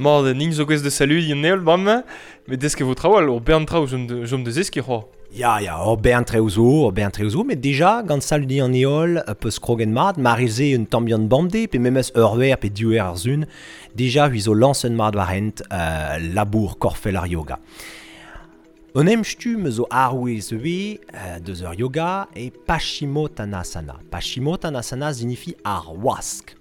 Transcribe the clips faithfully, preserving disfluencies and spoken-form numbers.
Mard ning zo gwez de saludiñ an heol bremañ, met desk e vo traoù ur bern traoù jom de, jom de zeskiñ c'hoazh. Ya, ya, ur bern traoù zo, ur bern traoù zo, met dija, gant saludiñ an heol, peus krogen mat, marize un tamm bihan bemdez, pe memes ur wer pe div eur ar sun, dija hui zo lañset mat war hent euh, labour korfel ar yoga. Un em stumm zo arouez we euh, deus ur yoga e Paschimottanasana. Paschimottanasana signifie ar wask.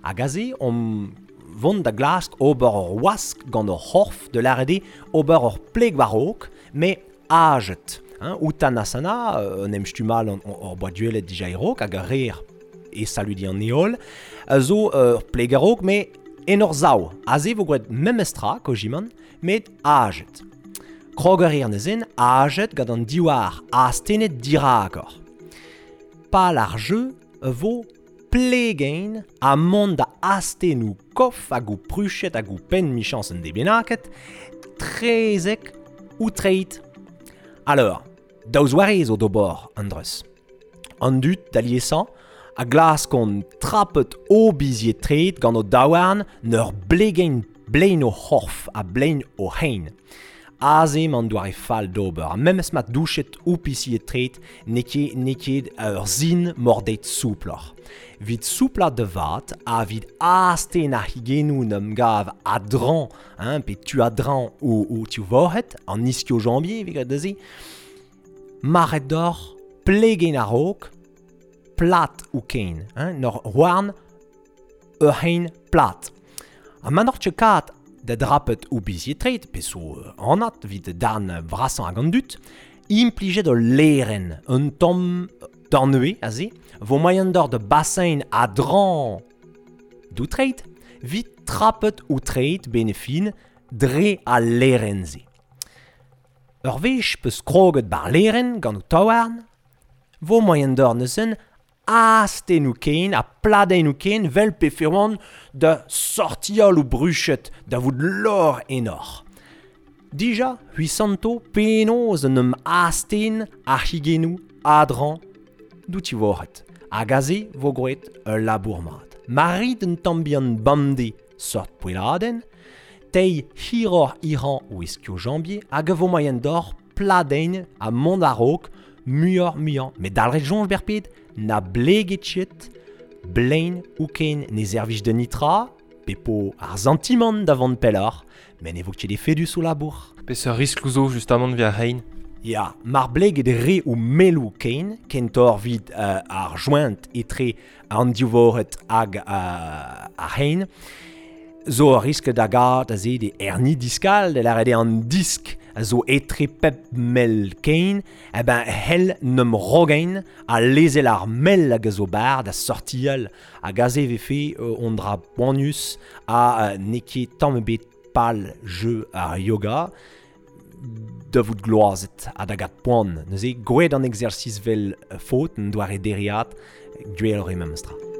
Hag aze, on vont da glask ober ur wask gant ur c'horf de l'arede ober ur pleg war-raok, met ajet. Hein, Uttanasana, un em stumm all an ur boa duelet dija e-raok, hag a reer e saludi an heol, zo ur pleg a-raok, met en ur sav. Aze vo gwraet memestra, kojimant, met ajet. Krog a reer neuzen, ajet gant an diwar astennet dirakor. Pal ar jeu vo plegein ha mont da astennoù kof hag o pruchet hag o penn michañs un debenaket, trezek ou treit. Alors, daou zoare zo d'ober an dreuz. An dud da liesañ a glaskont trapet o bizied treid gant o daouarn n'ur blegein blein o c'horf ha blein o c'hein. Aze man doare fall d'ober, ha memes ma douchet ou pisiet treid n'eo ket n'eo ket ur sin mordet souploc'h. Vit soupla de vat, ha vit asten ar higennoù n'em gav a-dreñv, hein, pe tu a-dreñv ou, ou tu vorc'hed, an ischio-jambier, evit graet neuze, maret d'or plegein a-raok, plat ou kein, hein, n'ur houarn ur c'hein plat. Ha ma n'oc'h ket kat da drapet ou bizied treid, pe zo anat vit darn vrasañ hag an dud, implijet ul lêrenn, un tamm dornue aze, vo moaien d'or de bassin a-dreñv d'ou treid, vit trapet ou treid benefin dre al lêrenn-se. Ur wech peus kroget bar lêrenn gant ou taouarn, vo moaien d'or neuzen astennoù ken ha pladennoù ken vel pe ferwan da sortial ou bruchet da vout lor enor. Dija, hui santo penaos un em asten ar higennoù a-dreñv d'ou ti vorc'hed. Hag aze vo gwraet ul labour mat. Ma rit un tamm bihan bemdez sort poelladenn, teiñ hiroc'h hirañ o ischio-jambier hag a vo moaien d'or pladenn ha mont a-raok muioc'h muiañ. Met dalc'het soñj berped, na bleget ket, blein ou ken ne servij de nitra, pe po ar santimant da vont pelloc'h, met ne vo ket efedus o labour. Peseurt riskloù zo justamant via ar c'hein? Ya, mar bleget re ou melloù ken, kentoc'h vit euh, ar joint etre an div-vorc'hed hag euh, ar c'hein, zo ur risk da gad aze de hernie discale, de lâret eo an disk a zo etre pep mell kein, eh ben hell n'em rogein a lezel ar mell hag a zo bar da sortial hag aze vefe euh, on dra poanius ha euh, n'eo ket tamm ebet pal jeu ar yoga da vout gloazet ha da gat poan. Neuze, gwraet an exercice vel faot, un doare dereat, gwelloc'h eo memestra.